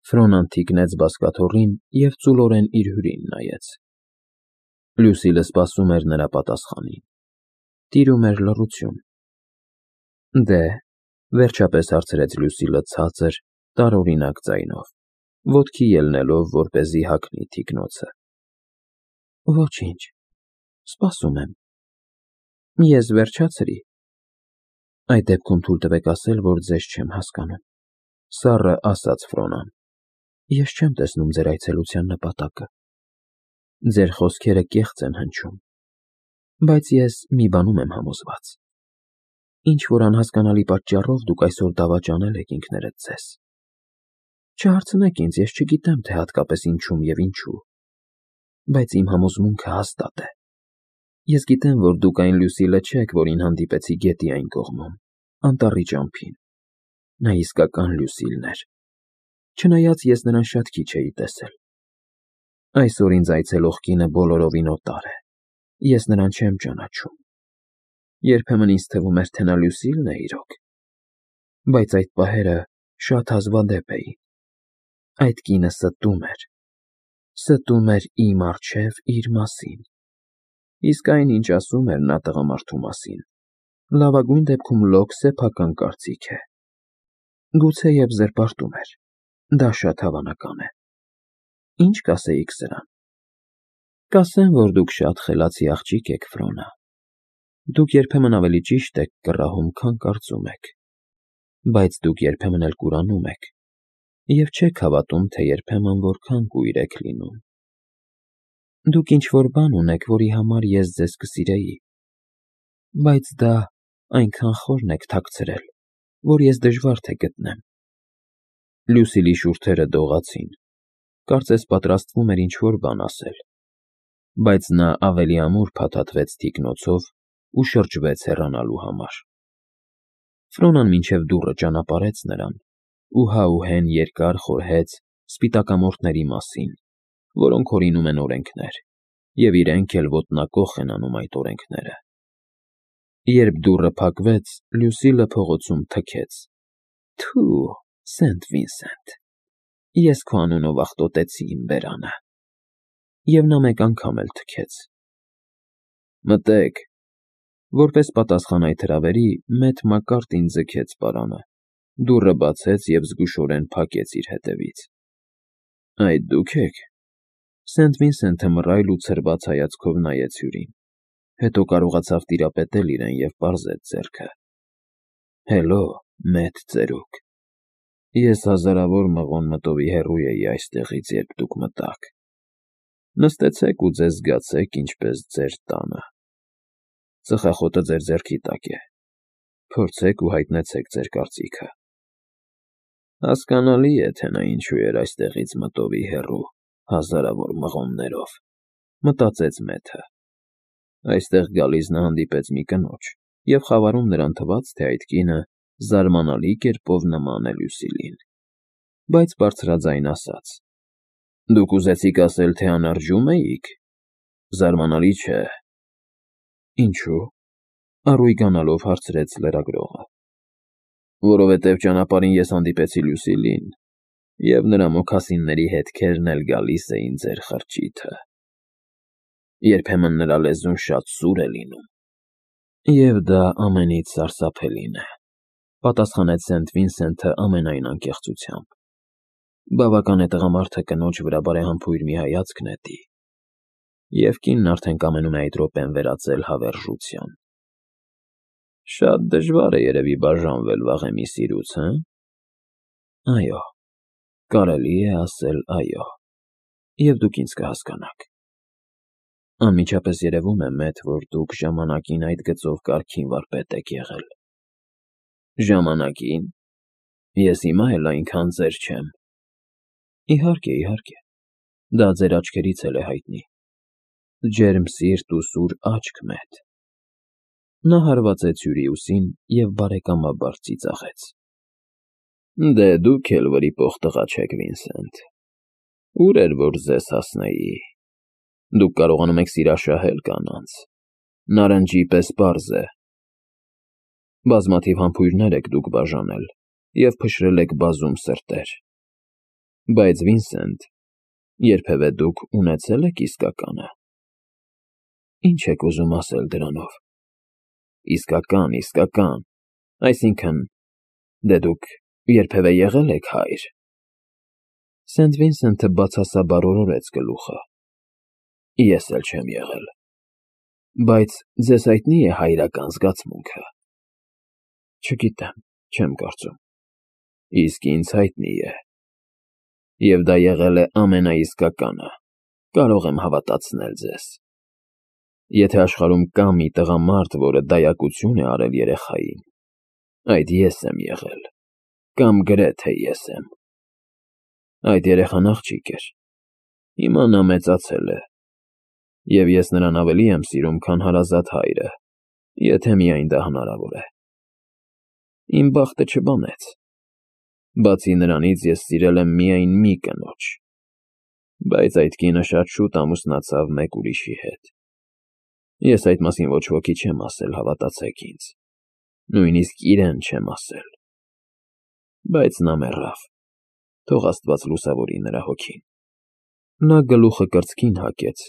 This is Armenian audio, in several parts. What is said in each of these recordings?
Ֆրոնան թիկնեց բազկաթոռին և ծուլորեն իր հյուրին նայեց։ Լյուսիլը սպասում էր նրա պատասխանին։ Տիրում էր լռություն։ Դե, վերջապես հարցրեց Լյուսիլը ցածր, տարօրինակ ձայնով, ոտքի ելնելով, որպեսզի հագնի թիկնոցը։ Ոչինչ, սպասում եմ։ Ես վերջացրի։ Այդ դեպքում թույլ տվեք ասել, որ ձեզ չեմ հասկանում, սառը ասաց Ֆրոնան։ Ես չեմ տեսնում ձեր այցելության նպատակը։ Ձեր խոսքերը կեղծ են հնչում, բայց ես մի բանում եմ համոզված։ Ինչ-որ անհասկանալի պատճառով դուք այսօր դավաճանել եք ինքներդ ձեզ։ Չհարցնեք ինձ, ես չգիտեմ, թե հատկապես ինչում և ինչու, բայց իմ համոզմունքը հաստատ է։ Ես գիտեմ, որ դուք այն Լյուսիլը չեք, որին հանդիպեցի գետի այն կողմում, անտառի ճամփին։ Նա իսկական Լյուսիլն էր, չնայած ես նրան շատ քիչ էի տեսել։ Այսօր ինձ այցելող կինը բոլորովին օտար է, ես նրան չեմ ճանաչում։ Երբեմն ինձ թվում էր, թե նա Լյուսիլն է իրոք, բայց այդ պահերը շատ հազվադեպ էին։ Այդ կինը ստում էր իմ առջև իր մասին։ Իսկ այն, ինչ ասում էր նա տղամարդու մասին, լավագույն դեպքում լոկ սեփական կարծիք է։ Գուցեև զրպարտում էր, դա շատ հավանական է։ Ինչ կասեիք սրան։ Կասեմ, որ դուք շատ խելացի աղջիկ եք, Ֆրոնա։ Դուք երբեմն ավելի ճիշտ եք կռահում, քան կարծում եք, բայց դուք երբեմն էլ կուրանում եք, և չեք հավատում, թե երբեմն որքան կույր եք լինում։ Դուք ինչ-որ բան ունեք, որի համար ես ձեզ կսիրեի, բայց դա այնքան խորն եք թաքցրել, որ ես դժվար թե գտնեմ։ Լյուսիլի շուրթերը դողացին, կարծես պատրաստվում էր ինչ-որ բան ասել, բայց նա ավելի ամուր փաթաթվեց թիկնոցով ու շրջվեց հեռանալու համար։ Ֆրոնան մինչև դուռը ճանապարհեց նրան ու հա ու հեն երկար խորհեց սպիտակամորթների մասին, որոնք հորինում են օրենքներ, և իրենք էլ ոտնակոխ են անում այդ օրենքները։ Երբ դուռը փակվեց, Լյուսիլը փողոցում թքեց. Թու, Սենթ Վինսենտ, ես քո անունով աղտոտեցի իմ բերանը։ Եվ նա մեկ անգամ էլ թքեց։ Մտեք։ Որպես պատասխան այդ հրավերի, մեծ Մակարտին ձգեց պարանը, դուռը բացեց և զգուշորեն փակեց իր հետևից։ Այդ դուք եք։ Սենթ Վինսենթը մռայլ ու ցրված հայացքով նայեց հյուրին, հետո կարողացավ տիրապետել իրեն և պարզեց ձեռքը։ Հելո, մեծ ծերուկ։ Ես հազարավոր մղոն մտովի հեռու էի այստեղից, երբ դուք մտաք։ Նստեցեք ու ձեզ զգացեք ինչպես ձեր տանը։ Ծխախոտը ձեր ձեռքի տակ է։ Փորձեք ու հայտնեցեք ձեր կարծիքը։ Հասկանալի է, թե նա ինչու էր այստեղից մտովի հեռու, հազարավոր մղոններով, մտածեց Մեթը։ Այստեղ գալիս նա հանդիպեց մի կնոջ և խավարում նրան թվաց, թե այդ կինը զարմանալի կերպով նման է Լյուսիլին, բայց բարձրաձայն ասաց. Դուք ուզեցիք ասել, թե անարժում էիք։ Զարմանալի չէ։ Ինչու՞։ Առույգանալով հարցրեց լրագրողը։ Որովհետև ճանապարհին ես հանդիպեցի Լյուսիլին, և նրա մոքասինների հետքերն էլ գալիս էին ձեր խրճիթը։ Երբեմն նրա լեզուն շատ սուր է լինում։ Եվ դա ամենից սարսափելին է, պատասխանեց Սենթ Վինսենթը ամենայն անկեղծությամբ։ Բավական է տղամարդը կնոջ վրա բարեհամբույր մի հայացք նետի, և կինն արդեն կամենում է այդ րոպեն վերածել հավերժության։ Շատ դժվար է երևի բաժանվել վաղեմի սիրուց, հը՞։ Այո, կարելի է ասել այո, և դուք ինձ կհասկանաք։ Անմիջապես երևում է, Մեթ, որ դուք ժամանակին այդ գծով կարգին վարպետ եք եղել։ Ժամանակին։ Ես հիմա էլ այնքան ծեր չեմ։ Իհարկե, իհարկե, դա ձեր աչքերից էլ է հայտնի։ Ջերմ սիրտ ու սուր աչք, Մեթ։ Նա հարվածեց հյուրի ուսին և բարեկամաբար ծիծաղեց։ Դե դուք էլ վրիպող տղա չեք, Վինսենտ։ Ուր էր որ ձեզ հասնեի։ Դուք կարողանում եք սիրաշահել կանանց։ Նարնջի պես պարզ է։ Բազմաթիվ համբույրներ եք դուք բաժանել և փշրել եք բազում սրտեր։ Բայց Վինսենտ, երբևէ դուք ունեցե՞լ եք իսկականը։ Ինչ եք ուզում ասել դրանով։ Իսկական, այսինքն, դե դուք երբևէ եղել եք հայր։ Սենթ Վինսենթը բացասաբար օրորեց գլուխը։ Ես էլ չեմ եղել։ Բայց ձեզ հայտնի է հայրական զգացմունքը։ Չգիտեմ, չեմ կարծում։ Իսկ ինձ հայտնի է։ Եվ դա եղել է ամենաիսկականը, կարող եմ հավատացնել ձեզ։ Եթե աշխարհում կա մի տղամարդ, որը դայակություն է արել երեխային, այդ ես եմ եղել, կամ գրեթե ես եմ։ Այդ երեխան աղջիկ էր, հիմա նա մեծացել է, և ես նրան ավելի եմ սիրում, քան հարազատ հայրը, եթե միայն դա հնարավոր է։ Իմ բախտը չբանեց։ Բացի նրանից ես սիրել եմ միայն մի կնոջ, բայց այդ կինը շատ շուտ ամուսնացավ մեկ ուրիշի հետ։ Ես այդ մասին ոչ ոքի չեմ ասել, հավատացեք ինձ, նույնիսկ իրեն չեմ ասել։ Բայց նա մեռավ, թող Աստված լուսավորի նրա հոգին։ Նա գլուխը կրծքին հագեց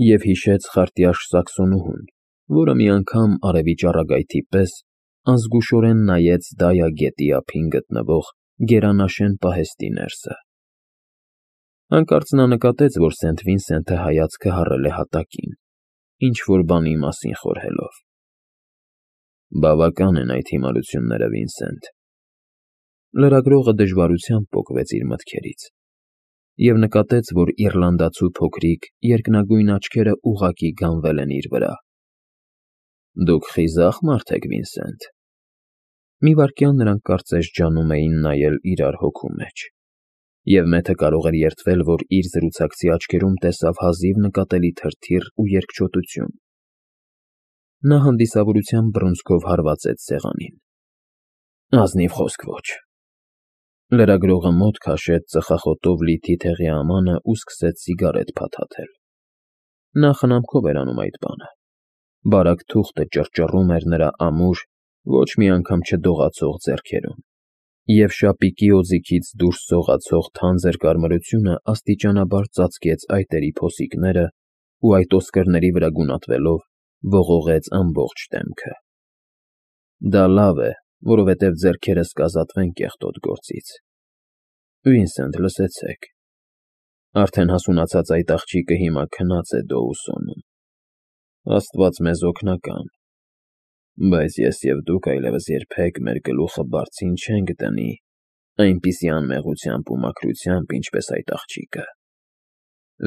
և հիշեց խարտյաշ սաքսոնուհուն, որը մի անգամ արևի ճառագայթի պես անզգուշորեն նայեց Դայա գետի ափին գտնվող գերանաշեն պահեստի ներսը։ Հանկարծ նա նկատեց, որ Սենթ Վինսենթը հայացքը հառել է հատակին, ինչ-որ բանի մասին խորհելով։ Բավական են այդ հիմարությունները, Վինսենթ։ Լրագրողը դժվարությամբ պոկվեց իր մտքերից և նկատեց, որ իռլանդացու փոքրիկ երկնագույն աչքերը ուղղակի գանվել են իր վրա։ Դուք խիզախ մարդ եք, Վինսենթ։ Մի վայրկյան նրանք կարծես ջանում էին նայել իրար հոգու մեջ, և մեթը կարող էր երդվել, որ իր զրուցակցի աչքերում տեսավ հազիվ նկատելի թրթիռ ու երկչոտություն։ Նա հանդիսավորությամբ բռունցքով հարվածեց սեղանին։ Ազնիվ խոսք ոչ։ Լրագրողը մոտ քաշեց ծխախոտով լի թիթեղի ամանը ու սկսեց սիգարետ փաթաթել։ Նա խնամքով էր անում այդ բանը։ Բարակ թուղթը ճռճռում էր նրա ամուր, ոչ մի անգամ չդողացող ձեռքերում, և շապիկի օձիքից դուրս սողացող թանձր կարմրությունը աստիճանաբար ծածկեց այտերի փոսիկները ու այդ ոսկրների վրա գունատվելով ողողեց ամբողջ դեմքը։ Դա լավ է, որովհետև ձեռքերս կազատվեն կեղտոտ գործից։ Վինսենթ, լսեցեք։ Արդեն հասունացած այդ աղջիկը հիմա քնած է Դոուսոնում։ Աստված մեզ օգնական։ Բայց ես և դուք այլևս երբեք մեր գլուխը բարձին չենք դնի այնպիսի անմեղությամբ ու մաքրությամբ, ինչպես այդ աղջիկը։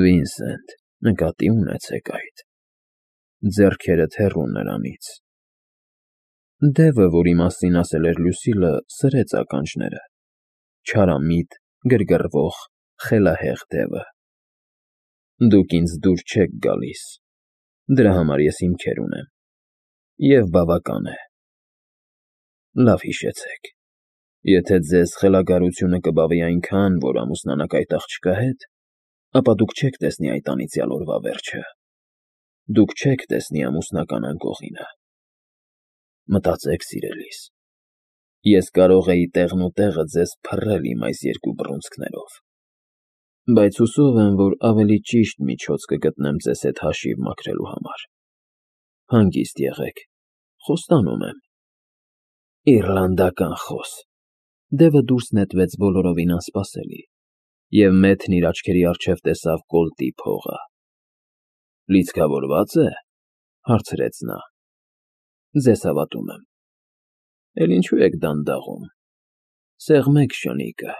Վինսենթ, նկատի ունեցեք այդ։ Ձեռքերդ հեռու նրանից։ Դևը, որի մասին ասել էր Լուսիլը, սրեց ականջները։ Չարամիտ, գրգռվող, խելահեղ դևը։ Դուք ինձ դուր չեք գալիս։ Դրա համար ես հիմքեր ունեմ։ Եվ բավական է։ Լավ հիշեցեք, եթե ձեզ խելագարությունը կբավի այնքան, որ ամուսնանաք այդ աղջկա հետ, ապա դուք չեք տեսնի այդ անիծյալ օրվա վերջը։ Դուք չեք տեսնի ամուսնական անկողինը։ Մտածեք, սիրելիս, ես կարող էի տեղն ու տեղը ձեզ փռել իմ այս երկու բռունցքներով, բայց հուսով եմ, որ ավելի ճիշտ միջոց կգտնեմ ձեզ հետ հաշիվ մաքրելու համար։ Հանգիստ եղեք, խոստանում եմ։ Իռլանդական խոս։ Դևը դուրս նետվեց բոլորովին անսպասելի, և մեթն իր աչքերի առջև տեսավ կոլտի փողը։ Լիցքավորվա՞ծ է, հարցրեց նա։ Ձեզ հավատում եմ։ Էլ ինչու եք դանդաղում։ Սեղմեք շնիկը։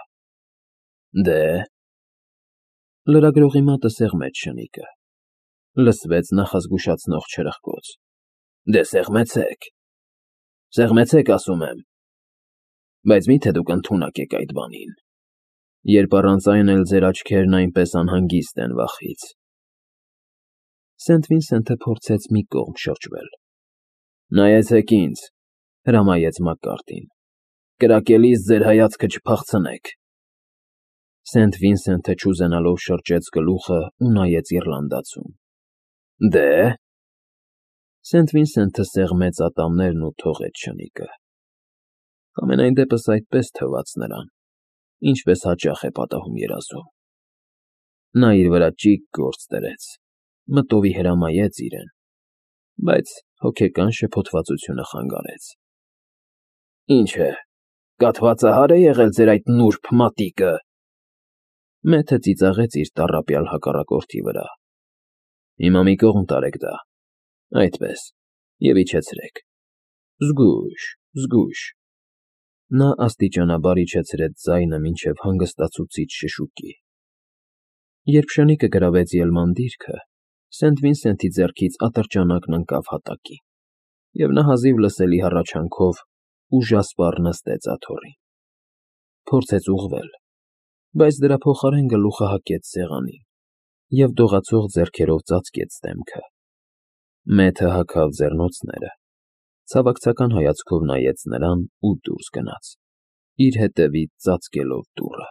Դե։ Լրագրողի մատը սեղմեց շնիկը։ Լսվեց նախազգուշացնող չրխկոց։ Դե սեղմեցեք։ Սեղմեցեք, ասում եմ։ Բայց մի՞թե դուք ընդունակ եք այդ բանին, երբ առանց այն էլ ձեր աչքերն այնպես անհանգիստ են վախից։ Սենթ Վինսենթը փորձեց մի կողմ շրջվել։ Նայեցեք ինձ, հրամայեց Մակկարտին։ Կրակելիս ձեր հայացքը չփախցնեք։ Սենթ Վինսենթը չուզենալով շրջեց գլուխը ու նայեց իռլանդացուն։ Դե։ Սենթ Վինսենթը սեղմեց ատամներն ու թողեց շնիկը։ Համենայն դեպս այդպես թվաց նրան, ինչպես հաճախ է պատահում երազում։ Նա իր վրա ճիգ գործ դրեց, մտովի հրամայեց իրեն, բայց հոգեկան շփոթվածությունը խանգարեց։ Ինչ է, կաթվածահար է եղել ձեր այդ նուրբ մատիկը։ Մեթը ծիծաղեց իր տառապյալ հակառակորդի վրա։ Հիմա մի կողմ տարեք դա, այդպես, և իջեցրեք։ Զգույշ, զգույշ։ Նա աստիճանաբար իջեցրեց ձայնը մինչև հանգստացուցիչ շշուկի։ Երբ շնիկը գրավեց ելման դիրքը, Սենթ Վինսենթի ձեռքից ատրճանակն ընկավ հատակին, և նա հազիվ լսելի հառաչանքով ուժասպառ նստեց աթոռին։ Փորձեց ուղղվել, բայց դրա փոխարեն գլուխը հակեց սեղանին և դողացող ձեռքերով ծածկեց դեմքը։ Մեթը հագավ ձեռնոցները, ցավակցական հայացքով նայեց նրան ու դուրս գնաց, իր հետևից ծածկելով դուռը։